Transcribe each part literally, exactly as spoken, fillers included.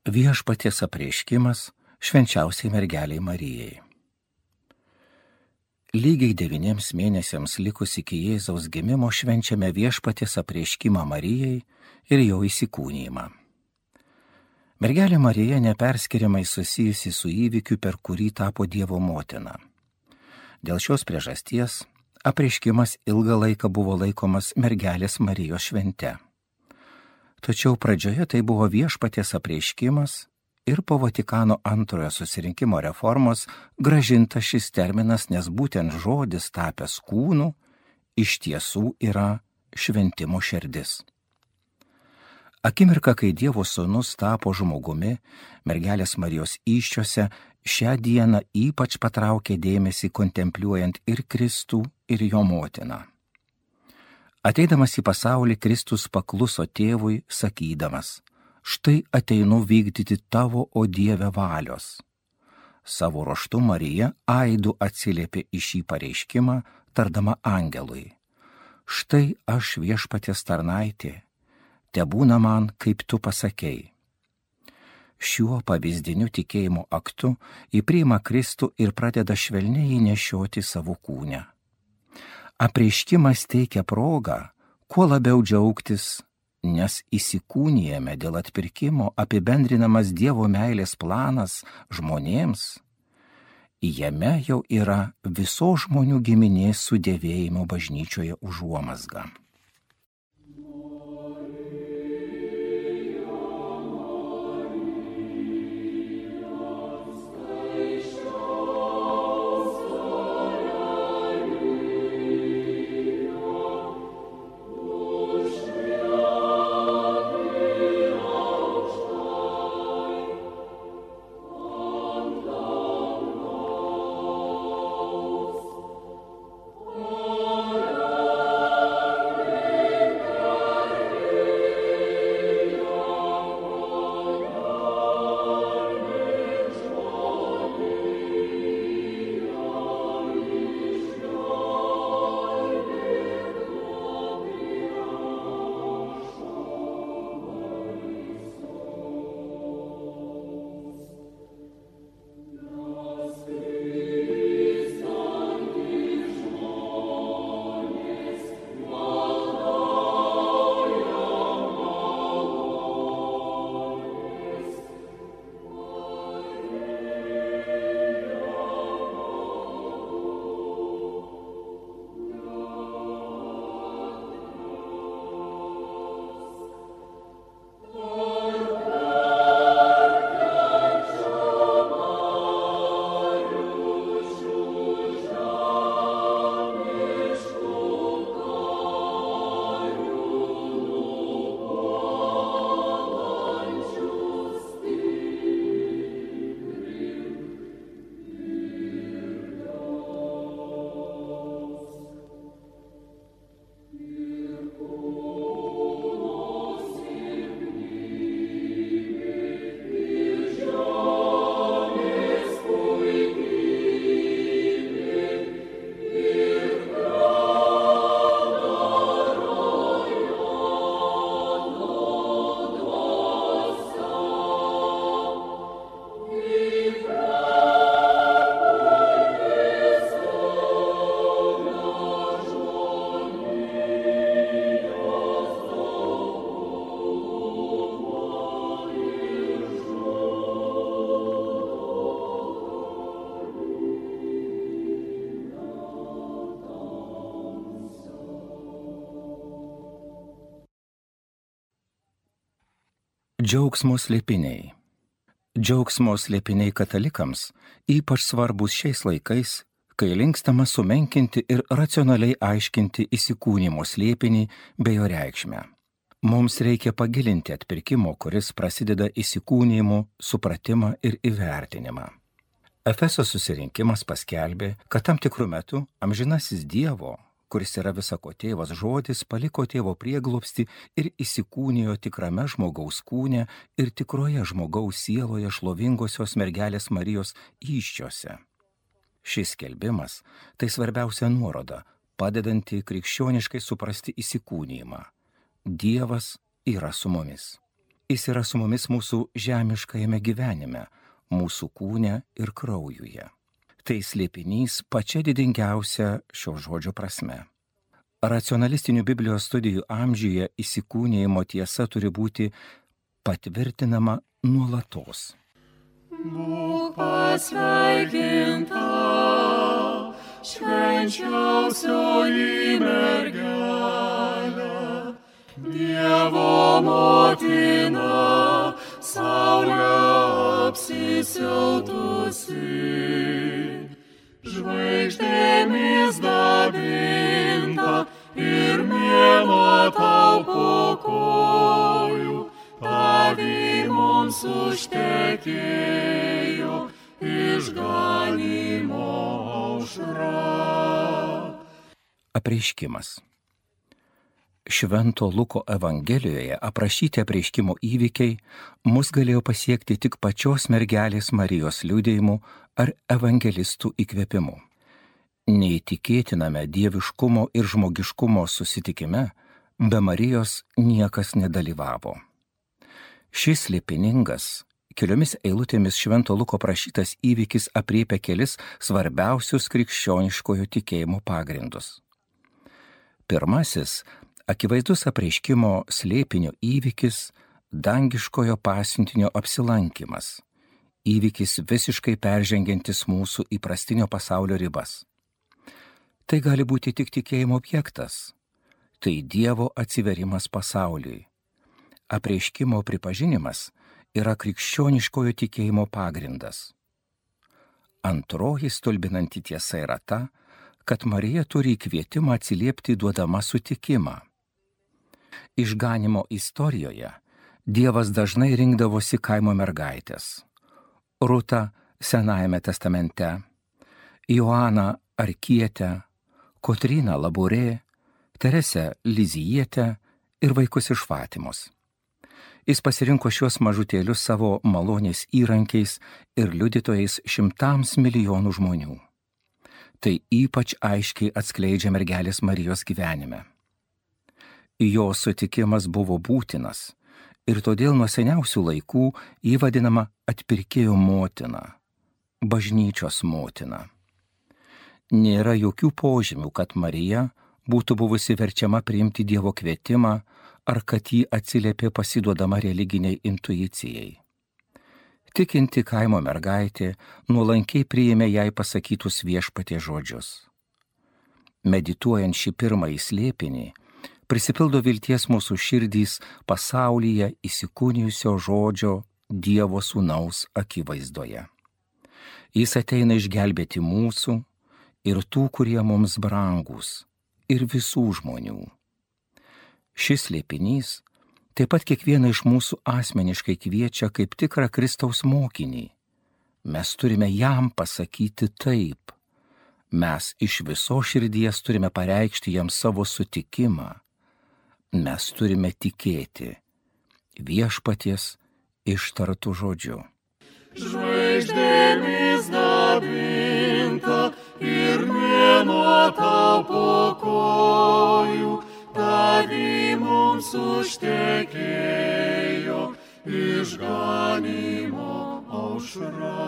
Viešpaties apreiškimas švenčiausiai mergeliai Marijai. Lygiai devyniems mėnesiams likus iki Jėzaus gimimo švenčiame Viešpaties apreiškimą Marijai ir jo įsikūnijimą. Mergelė Marija neperskiriamai susijusi su įvykiu, per kurį tapo Dievo motina. Dėl šios priežasties apreiškimas ilgą laiką buvo laikomas mergelės Marijos švente. Tačiau pradžioje tai buvo Viešpaties apreiškimas ir po Vatikano antrojo susirinkimo reformos grąžintas šis terminas, nes būtent žodis tapęs kūnu iš tiesų yra šventimo širdis. Akimirka, kai Dievo sūnus tapo žmogumi, mergelės Marijos įsčiose šią dieną ypač patraukė dėmesį kontempliuojant ir Kristų, ir jo motiną. Ateidamas į pasaulį, Kristus pakluso tėvui, sakydamas: štai ateinu vykdyti tavo, o Dieve, valios. Savo ruožtu Marija aidu atsiliepė į šį pareiškimą, tardama angelui: štai aš Viešpaties tarnaitė, tebūna man, kaip tu pasakei. Šiuo pavyzdiniu tikėjimo aktu ji priima Kristų ir pradeda švelniai jį nešioti savo kūne. Apreiškimas teikia progą kuo labiau džiaugtis, nes įsikūnijame dėl atpirkimo apibendrinamas Dievo meilės planas žmonėms. Jame jau yra visos žmonių giminės sudėvėjimo bažnyčioje užuomazga. Džiaugsmo slėpiniai. Džiaugsmo slėpiniai katalikams ypač svarbus šiais laikais, kai linkstama sumenkinti ir racionaliai aiškinti įsikūnimo slėpinį bei jo reikšmę. Mums reikia pagilinti atpirkimo, kuris prasideda įsikūnijimu, supratimą ir įvertinimą. Efeso susirinkimas paskelbė, kad tam tikrų metų amžinasis Dievo, kuris yra visako tėvas žodis, paliko tėvo prieglobstį ir įsikūnijo tikrame žmogaus kūne ir tikroje žmogaus sieloje šlovingosios mergelės Marijos įsčiose. Šis skelbimas tai svarbiausia nuoroda, padedanti krikščioniškai suprasti įsikūnijimą. Dievas yra su mumis. Jis yra su mumis mūsų žemiškajame gyvenime, mūsų kūne ir kraujuje. Tai slėpinys pačia didingiausia šio žodžio prasme. Racionalistinių Biblijos studijų amžiuje įsikūnijimo tiesa turi būti patvirtinama nuolatos. Būk pasveikinta, švenčiausioji mergelė, Dievo motina, saulė apsisiautusi, žvaigždėmis dabinta ir mėnuo tau po kojų, tavį mums užtekėjo išganymo aušra. Apreiškimas. Švento Luko Evangelijoje aprašyti apreiškimo įvykiai mus galėjo pasiekti tik pačios mergelės Marijos liudijimu ar evangelistų įkvėpimu. Neįtikėtiname dieviškumo ir žmogiškumo susitikime be Marijos niekas nedalyvavo. Šis slėpiningas, keliomis eilutėmis Švento Luko prašytas įvykis apriepia kelis svarbiausius krikščioniškojo tikėjimo pagrindus. Pirmasis – akivaizdus apreiškimo slėpinio įvykis – dangiškojo pasiuntinio apsilankimas, įvykis visiškai peržengiantis mūsų įprastinio pasaulio ribas. Tai gali būti tik tikėjimo objektas, tai Dievo atsiverimas pasauliui. Apreiškimo pripažinimas yra krikščioniškojo tikėjimo pagrindas. Antroji stulbinanti tiesa yra ta, kad Marija turi kvietimą atsiliepti duodama sutikimą. Išganymo istorijoje Dievas dažnai rinkdavosi kaimo mergaitės. Rūtą Senajame testamente, Joaną Arkietę, Kotryną Laborė, Teresę Lizijietę ir vaikus iš Fatimos. Jis pasirinko šiuos mažutėlius savo malonės įrankiais ir liudytojais šimtams milijonų žmonių. Tai ypač aiškiai atskleidžia mergelės Marijos gyvenime. Jo sutikimas buvo būtinas ir todėl nuo seniausių laikų jį vadinama atpirkėjo motina, bažnyčios motina. Nėra jokių požymių, kad Marija būtų buvusi verčiama priimti Dievo kvietimą ar kad jį atsiliepė pasiduodama religiniai intuicijai. Tikinti kaimo mergaitė nuolankiai priėmė jai pasakytus Viešpaties žodžius. Medituojant šį pirmąjį slėpinį, prisipildo vilties mūsų širdys pasaulyje įsikūnijusio žodžio Dievo Sūnaus akivaizdoje. Jis ateina išgelbėti mūsų ir tų, kurie mums brangūs, ir visų žmonių. Šis slėpinys taip pat kiekvieną iš mūsų asmeniškai kviečia kaip tikrą Kristaus mokinį. Mes turime jam pasakyti taip. Mes iš viso širdies turime pareikšti jam savo sutikimą. Mes turime tikėti Viešpaties ištartų žodžiu. Žvaigždėmis dabinta ir mėnuo tau po kojų, tavį mums užtekėjo išganymo aušra.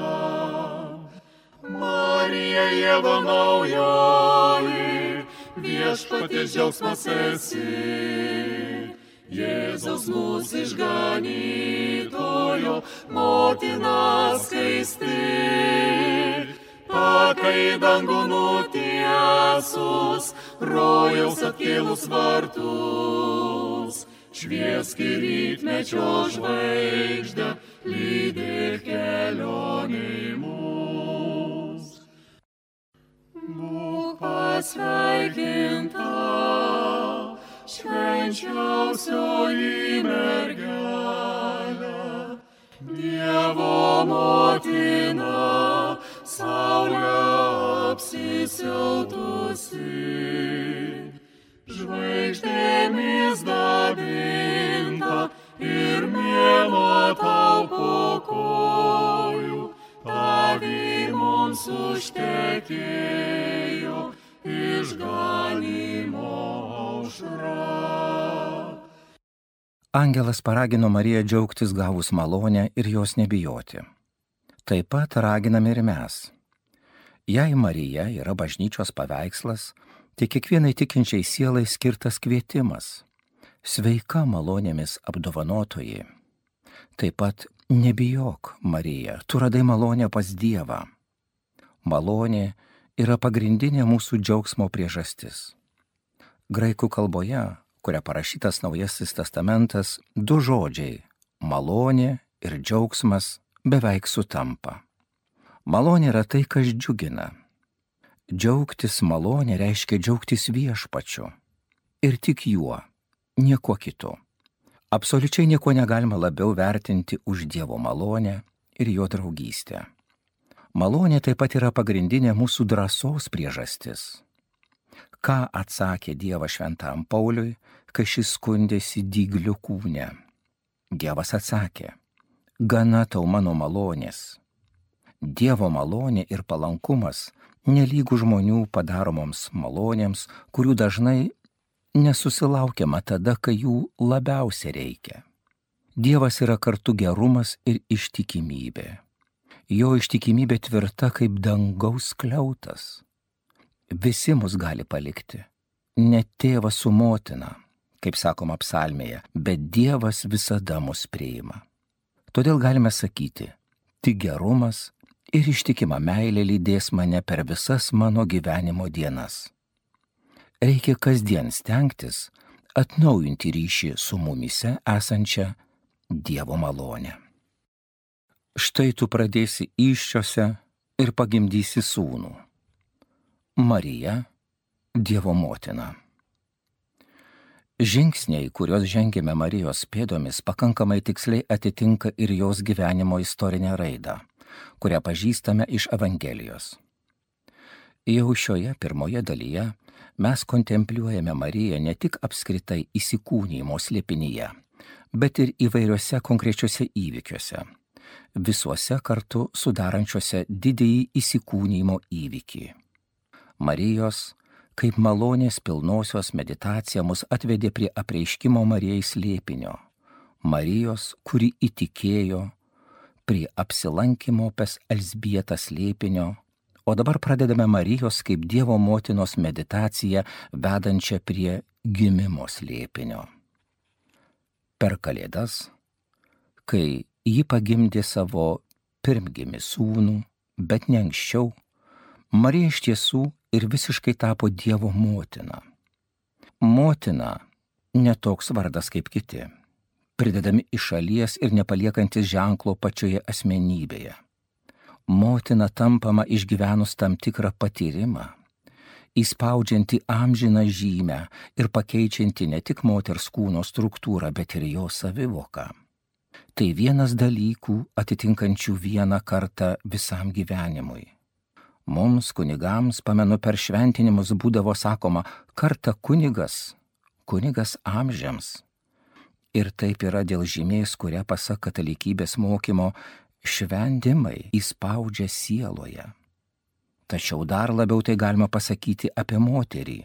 Marija Ieva naujoji, Viešpaties džiaugsmas esi, Jėzaus mūsų išganytojo motina skaisti. Takai dangų nutiesus, rojaus atkėlus vartus, šviesk į rytmečio žvaigždę, lydėk kelionei mus. Būk pasveikinta, švenčiausioji mergelė, Dievo motina, saulė apsisiautusi, žvaigždėmis dabinta ir mėnuo tau po kojų, tavį mums užtekėjo išganymo aušra. Angelas paragino Mariją džiaugtis gavus malonę ir jos nebijoti. Taip pat raginame ir mes. Jei Marija yra bažnyčios paveikslas, tai kiekvienai tikinčiai sielai skirtas kvietimas. Sveika malonėmis apdovanotoji. Taip pat nebijok, Marija, tu radai malonę pas Dievą. Malonė yra pagrindinė mūsų džiaugsmo priežastis. Graikų kalboje, kuria parašytas Naujasis testamentas, du žodžiai – malonė ir džiaugsmas beveik sutampa. Malonė yra tai, kas džiugina. Džiaugtis malonė reiškia džiaugtis viešpačiu. Ir tik juo, nieko kitu. Absoliučiai nieko negalima labiau vertinti už Dievo malonę ir jo draugystę. Malonė taip pat yra pagrindinė mūsų drąsos priežastis. Ką atsakė Dievas šventam Pauliui, kai šis skundėsi dygliu kūne? Dievas atsakė, gana tau mano malonės. Dievo malonė ir palankumas nelygų žmonių padaromoms malonėms, kurių dažnai nesusilaukiama tada, kai jų labiausiai reikia. Dievas yra kartu gerumas ir ištikimybė. Jo ištikimybė tvirta kaip dangaus skliautas. Visi mus gali palikti, ne tėvas su motina, kaip sakoma psalmėje, bet Dievas visada mus priima. Todėl galime sakyti, tik gerumas ir ištikima meilė lydės mane per visas mano gyvenimo dienas. Reikia kasdien stengtis atnaujinti ryšį su mumise esančia Dievo malonė. Štai tu pradėsi įsčiose ir pagimdysi sūnų. Marija, Dievo motina. Žingsniai, kuriuos žengėme Marijos pėdomis, pakankamai tiksliai atitinka ir jos gyvenimo istorinę raidą, kurią pažįstame iš Evangelijos. Jau šioje pirmoje dalyje mes kontempliuojame Mariją ne tik apskritai įsikūnijimo slėpinyje, bet ir įvairiuose konkrečiuose įvykiuose, visuose kartu sudarančiuose didįjį įsikūnijimo įvykį. Marijos, kaip malonės pilnosios meditacija mus atvedė prie apreiškimo Marijai slėpinio, Marijos, kuri įtikėjo, prie apsilankimo pas Elzbietą slėpinio, o dabar pradedame Marijos kaip Dievo motinos meditaciją vedančią prie gimimo slėpinio. Per Kalėdas, kai ji pagimdė savo pirmgimį sūnų, bet ne anksčiau, Marija iš tiesų ir visiškai tapo Dievo motina. Motina ne toks vardas kaip kiti, pridedami iš šalies ir nepaliekantis ženklo pačioje asmenybėje. Motina tampama išgyvenus tam tikrą patyrimą, įspaudžianti amžiną žymę ir pakeičianti ne tik moters kūno struktūrą, bet ir jo savivoką. Tai vienas dalykų atitinkančių vieną kartą visam gyvenimui. Mums, kunigams, pamenu, per šventinimus būdavo sakoma, kartą kunigas, kunigas amžiams. Ir taip yra dėl žymės, kurią pasak katalikybės mokymo šventimai įspaudžia sieloje. Tačiau dar labiau tai galima pasakyti apie moterį.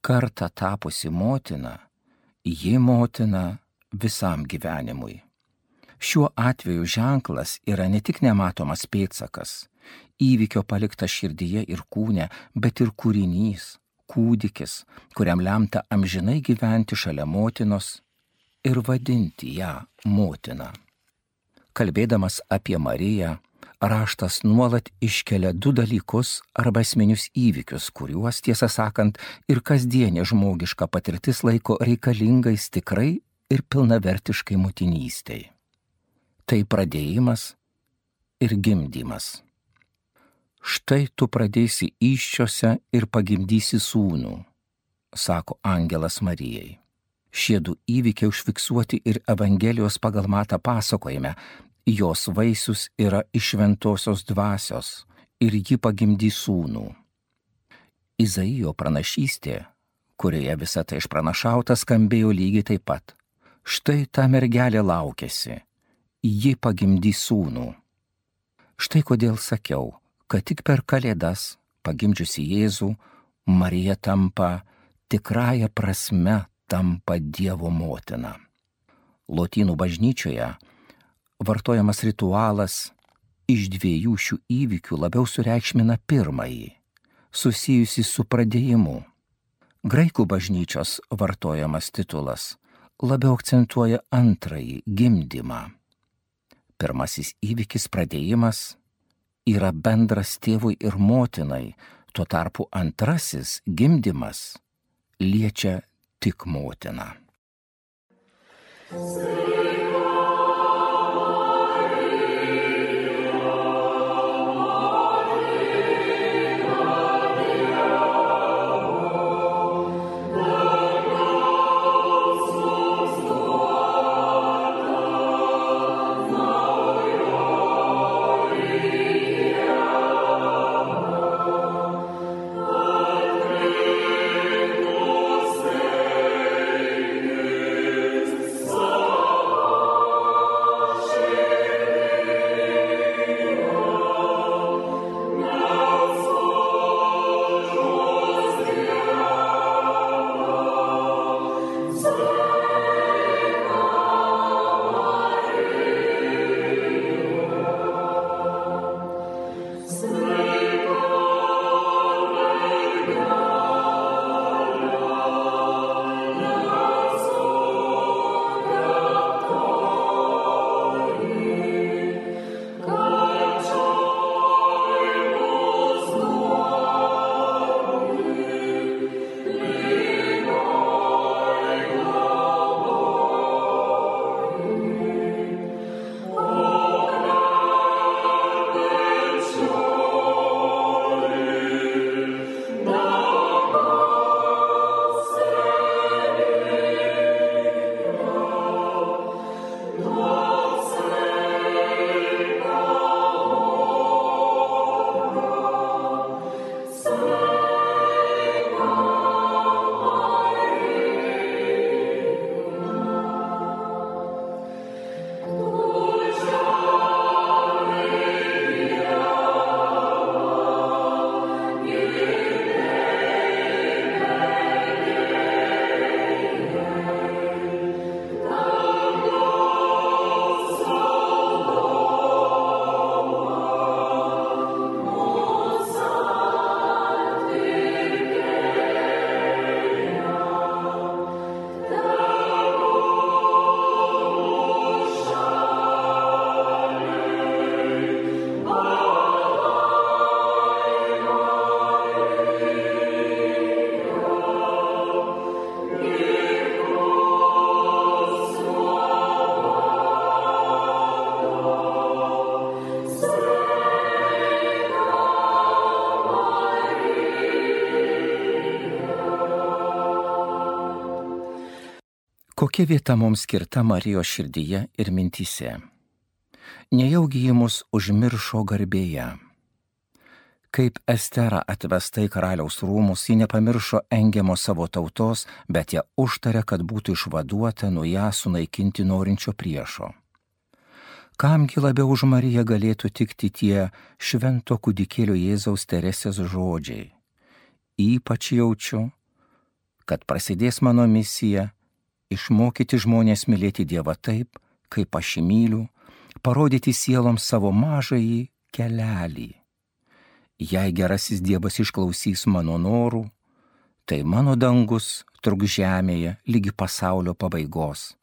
Kartą tapusi motina, ji motina visam gyvenimui. Šiuo atveju ženklas yra ne tik nematomas pėdsakas, įvykio paliktas širdyje ir kūne, bet ir kūrinys, kūdikis, kuriam lemta amžinai gyventi šalia motinos ir vadinti ją motina. Kalbėdamas apie Mariją, raštas nuolat iškelia du dalykus arba esminius įvykius, kuriuos, tiesą sakant, ir kasdienė žmogiška patirtis laiko reikalingais tikrai ir pilnavertiškai motinystei. Tai pradėjimas ir gimdymas. Štai tu pradėsi įsčiose ir pagimdysi sūnų, sako angelas Marijai. Šie du įvykiai užfiksuoti ir Evangelijos pagal Matą pasakojime, jos vaisius yra iš šventosios dvasios ir ji pagimdys sūnų. Izaijo pranašystė, kurioje visa tai išpranašauta, skambėjo lygiai taip pat. Štai ta mergelė laukėsi, ji pagimdys sūnų. Štai kodėl sakiau, kad tik per Kalėdas, pagimdžiusi Jėzų, Marija tampa tikrąja prasme tampa Dievo motina. Lotynų bažnyčioje vartojamas ritualas iš dviejų šių įvykių labiau sureikšmina pirmąjį, susijusį su pradėjimu. Graikų bažnyčios vartojamas titulas labiau akcentuoja antrąjį, gimdymą. Pirmasis įvykis, pradėjimas, yra bendras tėvui ir motinai, tuo tarpu antrasis, gimdymas, liečia tik motiną. Kokia vieta mums skirta Marijos širdyje ir mintyse? Nejaugi ji mus užmiršo garbėje. Kaip Estera atvesta į karaliaus rūmus, ji nepamiršo engiamo savo tautos, bet ją užtarė, kad būtų išvaduota nuo ją sunaikinti norinčio priešo. Kamgi labiau už Mariją galėtų tikti tie švento kūdikėlio Jėzaus Teresės žodžiai? Ypač jaučiu, kad prasidės mano misija išmokyti žmonės mylėti Dievą taip, kaip aš jį myliu, parodyti sieloms savo mažąjį kelelį. Jei gerasis Dievas išklausys mano norų, tai mano dangus truks žemėje ligi pasaulio pabaigos.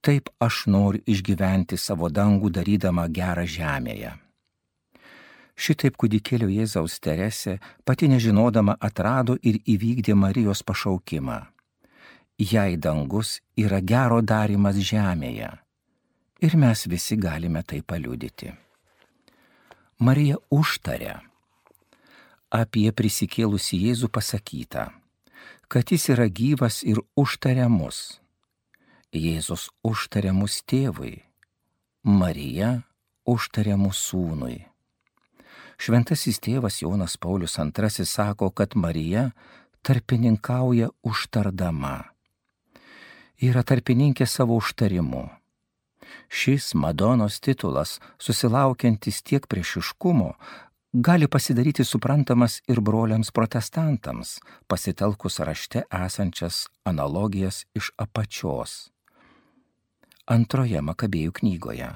Taip aš noriu išgyventi savo dangų darydama gerą žemėje. Šitaip kūdikėlio Jėzaus Teresė, pati nežinodama, atrado ir įvykdė Marijos pašaukimą. Jei dangus yra gero darymas žemėje, ir mes visi galime tai paliudyti. Marija užtarė. Apie prisikėlusį Jėzų pasakyta, kad jis yra gyvas ir užtarė mus. Jėzus užtarė mus tėvui, Marija užtarė mus sūnui. Šventasis tėvas Jonas Paulius antrasis sako, kad Marija tarpininkauja užtardama. Yra tarpininkė savo užtarimu. Šis Madonos titulas, susilaukiantis tiek priešiškumo, gali pasidaryti suprantamas ir broliams protestantams, pasitelkus rašte esančias analogijas iš apačios. Antroje Makabėjų knygoje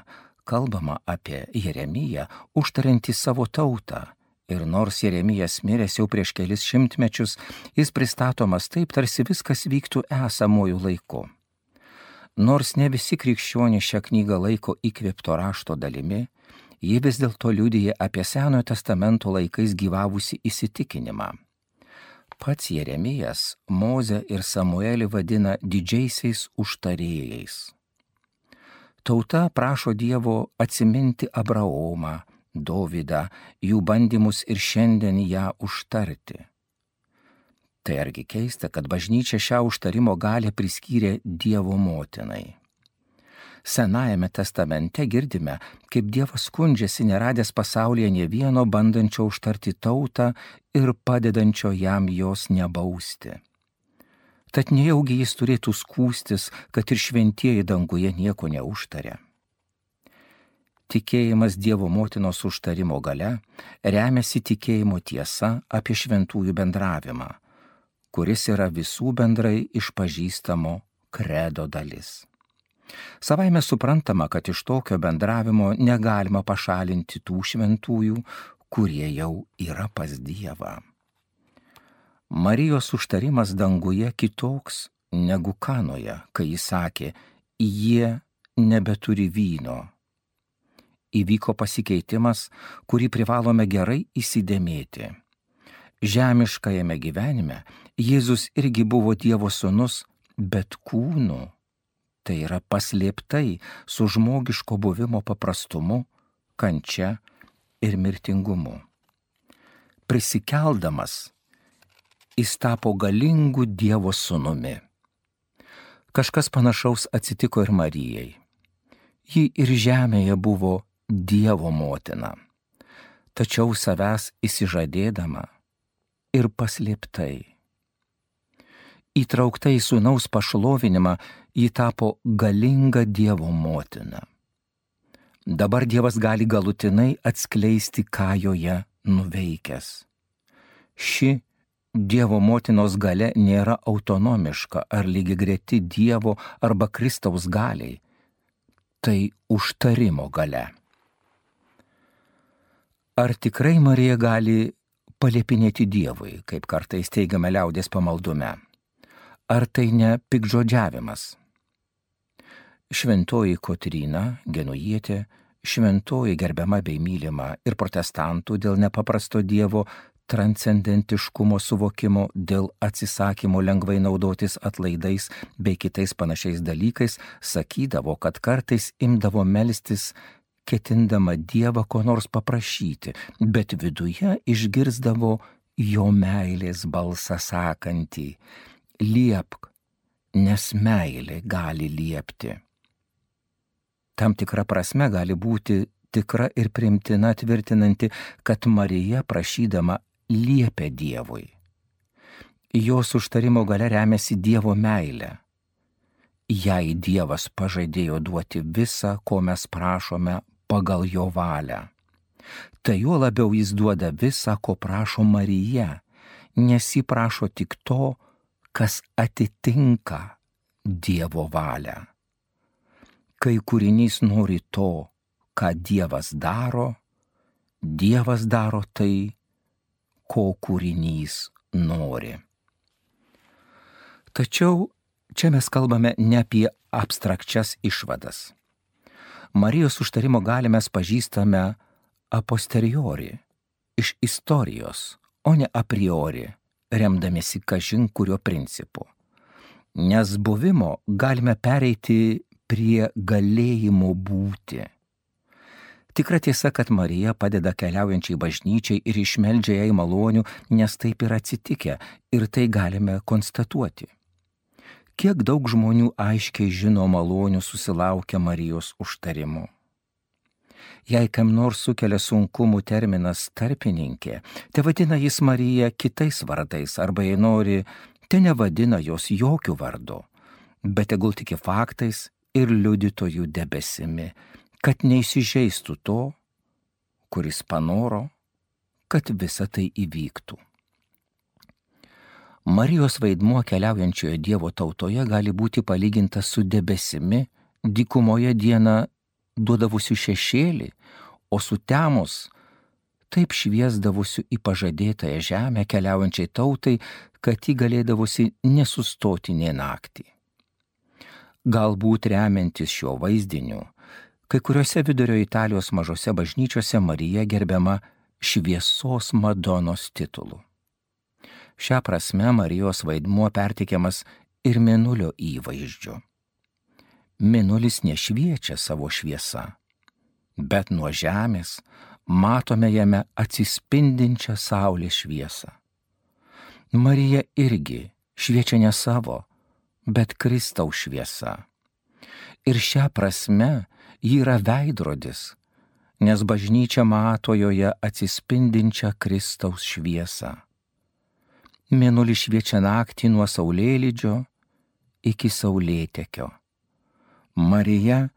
kalbama apie Jeremiją užtariantį savo tautą. Ir nors Jeremijas miręs jau prieš kelis šimtmečius, jis pristatomas taip, tarsi viskas vyktų esamojų laiku. Nors ne visi krikščionys šią knygą laiko įkvėpto rašto dalimi, ji vis dėlto liudija apie Senojo testamento laikais gyvavusi įsitikinimą. Pats Jeremijas Mozę ir Samuelį vadina didžiaisiais užtarėjais. Tauta prašo Dievo atsiminti Abraomą, Dovydą, jų bandymus ir šiandien ją užtarti. Tai argi keista, kad bažnyčia šią užtarimo galią priskyrė Dievo motinai. Senajame testamente girdime, kaip Dievas skundžiasi neradęs pasaulyje nė vieno bandančio užtarti tautą ir padedančio jam jos nebausti. Tad nejaugi jis turėtų skųstis, kad ir šventieji danguje nieko neužtarė. Tikėjimas Dievo motinos užtarimo gale remiasi tikėjimo tiesa apie šventųjų bendravimą, kuris yra visų bendrai išpažįstamo kredo dalis. Savaime suprantama, kad iš tokio bendravimo negalima pašalinti tų šventųjų, kurie jau yra pas Dievą. Marijos užtarimas danguje kitoks negu Kanoje, kai jis sakė, jie nebeturi vyno. Įvyko pasikeitimas, kurį privalome gerai įsidėmėti. Žemiškajame gyvenime Jėzus irgi buvo Dievo sūnus, bet kūnu, tai yra paslėptai su žmogiško buvimo paprastumu, kančia ir mirtingumu. Prisikeldamas, jis tapo galingu Dievo sūnumi. Kažkas panašaus atsitiko ir Marijai. Ji ir žemėje buvo Dievo motina, tačiau savęs išsižadėdama ir paslėptai. Įtraukta į sūnaus pašlovinimą, ji tapo galinga Dievo motina. Dabar Dievas gali galutinai atskleisti, ką joje nuveikęs. Ši Dievo motinos galia nėra autonomiška ar lygiagreti Dievo arba Kristaus galiai. Tai užtarimo galia. Ar tikrai Marija gali paliepinėti Dievui, kaip kartais teigiame liaudės pamaldume? Ar tai ne piktžodžiavimas? Šventoji Kotryna, Genujietė, šventoji gerbiama bei mylima ir protestantų dėl nepaprasto Dievo transcendentiškumo suvokimo, dėl atsisakymo lengvai naudotis atlaidais bei kitais panašiais dalykais, sakydavo, kad kartais imdavo melstis, ketindama Dievą ko nors paprašyti, bet viduje išgirsdavo jo meilės balsą sakantį: liepk, nes meilė gali liepti. Tam tikra prasme gali būti tikra ir primtina, tvirtinanti, kad Marija prašydama liepė Dievui. Jos užtarimo galia remiasi Dievo meilė. Jai Dievas pažadėjo duoti visą, ko mes prašome, pagal jo valią. Tai juo labiau jis duoda visą, ko prašo Marija, nes ji prašo tik to, kas atitinka Dievo valią. Kai kūrinys nori to, ką Dievas daro, Dievas daro tai, ko kūrinys nori. Tačiau čia mes kalbame ne apie abstrakčias išvadas. Marijos užtarimo galią mes pažįstame a posteriori, iš istorijos, o ne a priori, remdamiesi kažin kurio principu. Nes buvimo galime pereiti prie galėjimo būti. Tikra tiesa, kad Marija padeda keliaujančiai bažnyčiai ir išmeldžia jai malonių, nes taip yra atsitikę ir tai galime konstatuoti. Kiek daug žmonių aiškiai žino malonių susilaukia Marijos užtarimu. Jei kam nors sukelia sunkumų terminas tarpininkė, te vadina jis Mariją kitais vardais, arba jei nori, te nevadina jos jokių vardų, bet tegul tiki faktais ir liudytojų debesimi, kad neįsižeistų to, kuris panoro, kad visa tai įvyktų. Marijos vaidmuo keliaujančioje Dievo tautoje gali būti palygintas su debesimi dykumoje dieną duodavusių šešėlį, o sutemus taip šviesdavusių į pažadėtąją žemę keliaujančiai tautai, kad ji galėdavusi nesustoti nė naktį. Galbūt remiantis šiuo vaizdiniu, kai kuriuose vidurio Italijos mažose bažnyčiose Marija gerbiama šviesos Madonos titulu. Šią prasme Marijos vaidmuo perteikiamas ir mėnulio įvaizdžiu. Mėnulis nešviečia savo šviesa, bet nuo žemės matome jame atsispindinčią saulės šviesą. Marija irgi šviečia ne savo, bet Kristaus šviesa. Ir šią prasme ji yra veidrodis, nes bažnyčia mato joje atsispindinčią Kristaus šviesą. Mėnulis šviečia naktį nuo saulėlydžio iki saulėtekio. Marija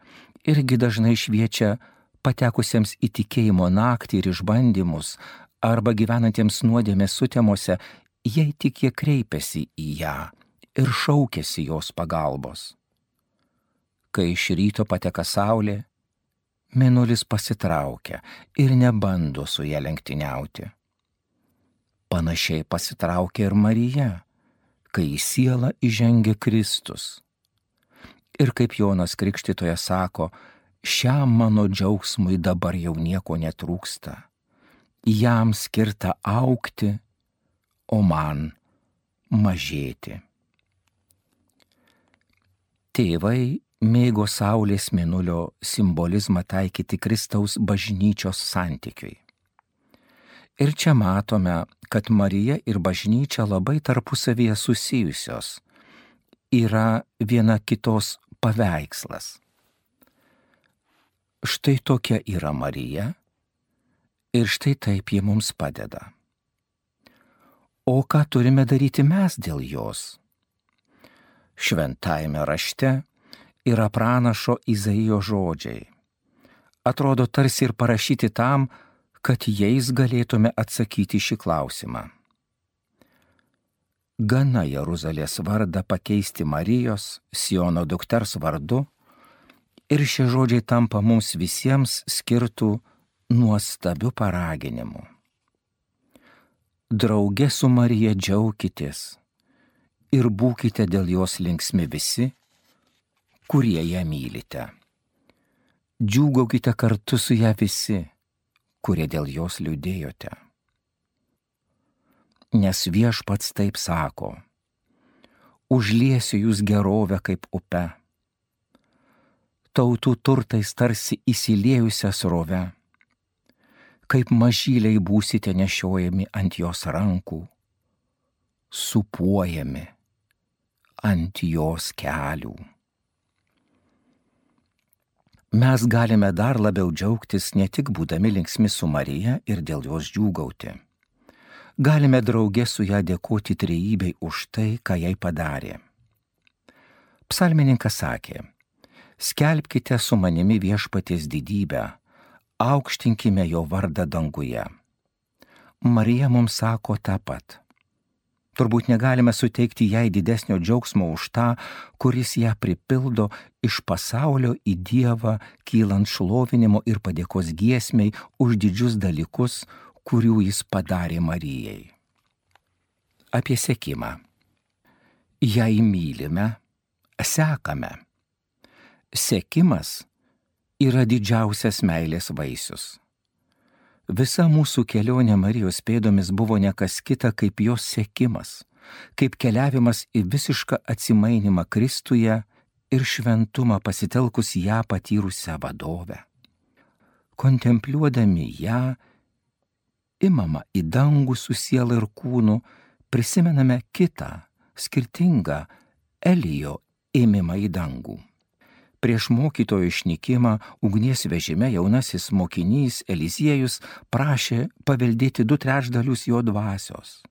irgi dažnai šviečia patekusiems į tikėjimo naktį ir išbandymus arba gyvenantiems nuodėmės sutemose, jei tik jie kreipiasi į ją ir šaukiasi jos pagalbos. Kai iš ryto pateka saulė, mėnulis pasitraukia ir nebando su ja lenktyniauti. Panašiai pasitraukia ir Marija, kai į sielą įžengia Kristus. Ir kaip Jonas Krikštytojas sako, šiam mano džiaugsmui dabar jau nieko netrūksta. Jam skirta augti, o man mažėti. Tėvai mėgo saulės mėnulio simbolizmą taikyti Kristaus bažnyčios santykiui. Ir čia matome, kad Marija ir bažnyčia labai tarpusavyje susijusios, yra viena kitos paveikslas. Štai tokia yra Marija ir štai taip ji mums padeda. O ką turime daryti mes dėl jos? Šventajame rašte yra pranašo Izaijo žodžiai. Atrodo tarsi ir parašyti tam, kad jais galėtume atsakyti šį klausimą. Gana Jeruzalės vardą pakeisti Marijos, Siono dukters vardu, ir šie žodžiai tampa mums visiems skirtų nuostabiu paraginimu. Drauge su Marija džiaukitės ir būkite dėl jos linksmi visi, kurie ją mylite. Džiūgaukite kartu su ją visi, kurie dėl jos liūdėjote. Nes Viešpats taip sako, užliesiu jūs gerovę kaip upe, tautų turtais tarsi įsiliejusią srovę, kaip mažyliai būsite nešiojami ant jos rankų, supuojami ant jos kelių. Mes galime dar labiau džiaugtis ne tik būdami linksmi su Marija ir dėl jos džiūgauti. Galime drauge su ją dėkoti trejybei už tai, ką jai padarė. Psalmininkas sakė, skelbkite su manimi Viešpaties didybę, aukštinkime jo vardą danguje. Marija mums sako tą pat. Turbūt negalime suteikti jai didesnio džiaugsmo už tą, kuris ją pripildo iš pasaulio į Dievą, kylant šlovinimo ir padėkos giesmei už didžius dalykus, kurių jis padarė Marijai. Apie sekimą. Jei mylime, sekame. Sekimas yra didžiausias meilės vaisius. Visa mūsų kelionė Marijos pėdomis buvo ne kas kita kaip jos sekimas, kaip keliavimas į visišką atsimainimą Kristuje ir šventumą pasitelkus ją patyrusią vadovę. Kontempliuodami ją, imama į dangų su siela ir kūnu, prisimename kitą, skirtingą Elijo ėmimą į dangų. Prieš mokytojo išnykimą ugnies vežime jaunasis mokinys Eliziejus prašė paveldėti du trečdalius jo dvasios.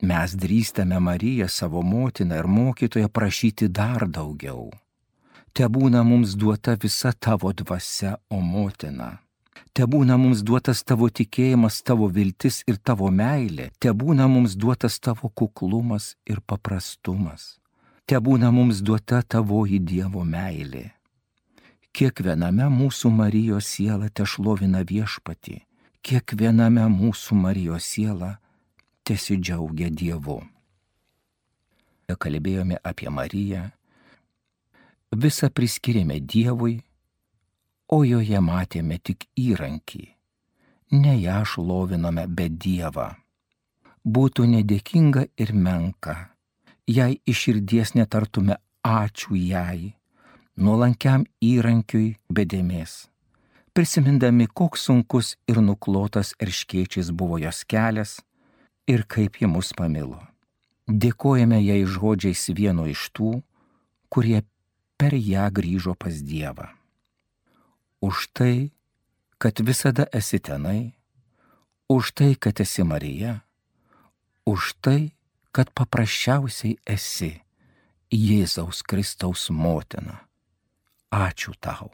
Mes drįstame Mariją, savo motiną ir mokytoją, prašyti dar daugiau. Tebūna mums duota visa tavo dvasia, o motina. Tebūna mums duotas tavo tikėjimas, tavo viltis ir tavo meilė. Tebūna mums duotas tavo kuklumas ir paprastumas. Te būna mums duota tavoji Dievo meilė. Kiekviename mūsų Marijos siela te šlovina viešpatį, kiekviename mūsų Marijos siela tesidžiaugia Dievu. Kalbėjome apie Mariją, visą priskirėme Dievui, o joje matėme tik įrankį, ne ją šlovinome, bet Dievą. Būtų nedėkinga ir menka, jei iš širdies netartume ačiū jai, nuolankiam įrankiui be dėmės, prisimindami, koks sunkus ir nuklotas erškėčiais buvo jos kelias ir kaip ji mus pamilo. Dėkojame jai žodžiais vieno iš tų, kurie per ją grįžo pas Dievą. Už tai, kad visada esi tenai, už tai, kad esi Marija, už tai, kad paprasčiausiai esi Jėzaus Kristaus motina. Ačiū tau.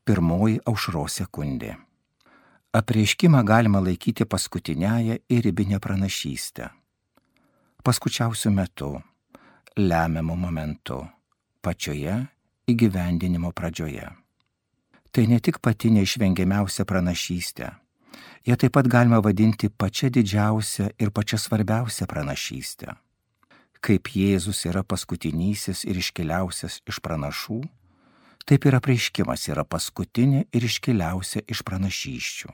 Pirmoji aušros sekundė. Apreiškimą galima laikyti paskutiniąją ir ribinę pranašystę. Paskučiausiu metu, lemiamu momentu, pačioje įgyvendinimo pradžioje. Tai ne tik pati neišvengiamiausia pranašystė, ją taip pat galima vadinti pačia didžiausia ir pačia svarbiausia pranašystė. Kaip Jėzus yra paskutinysis ir iškiliausias iš pranašų, taip ir apreiškimas yra paskutinė ir iškiliausia iš pranašysčių.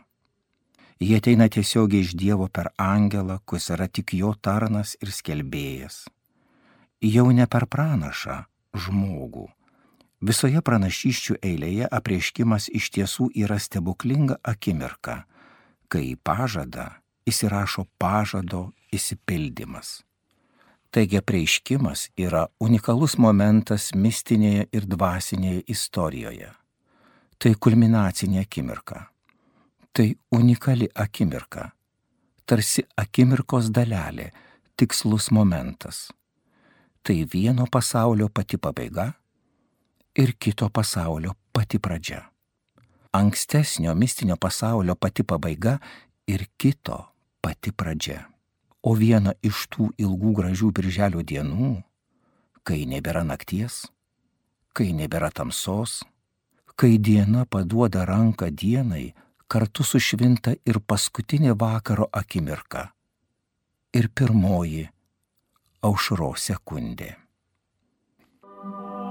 Jie ateina tiesiogiai iš Dievo per angelą, kuris yra tik jo tarnas ir skelbėjas. Jau ne per pranašą, žmogų. Visoje pranašysčių eilėje apreiškimas iš tiesų yra stebuklinga akimirka, kai į pažadą įsirašo pažado išsipildymas. Taigi apreiškimas yra unikalus momentas mistinėje ir dvasinėje istorijoje. Tai kulminacinė akimirka. Tai unikali akimirka. Tarsi akimirkos dalelė, tikslus momentas. Tai vieno pasaulio pati pabaiga ir kito pasaulio pati pradžia. Ankstesnio mistinio pasaulio pati pabaiga ir kito pati pradžia. O viena iš tų ilgų gražių birželio dienų, kai nebėra nakties, kai nebėra tamsos, kai diena paduoda ranką dienai, kartu sušvinta ir paskutinė vakaro akimirka ir pirmoji aušros sekundė. Oh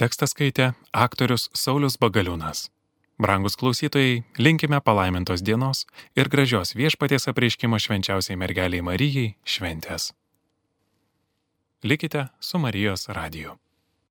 Tekstą skaitė aktorius Saulius Bagaliūnas. Brangus klausytojai, linkime palaimintos dienos ir gražios Viešpaties apreiškimo švenčiausiai mergeliai Marijai šventės. Likite su Marijos radiju.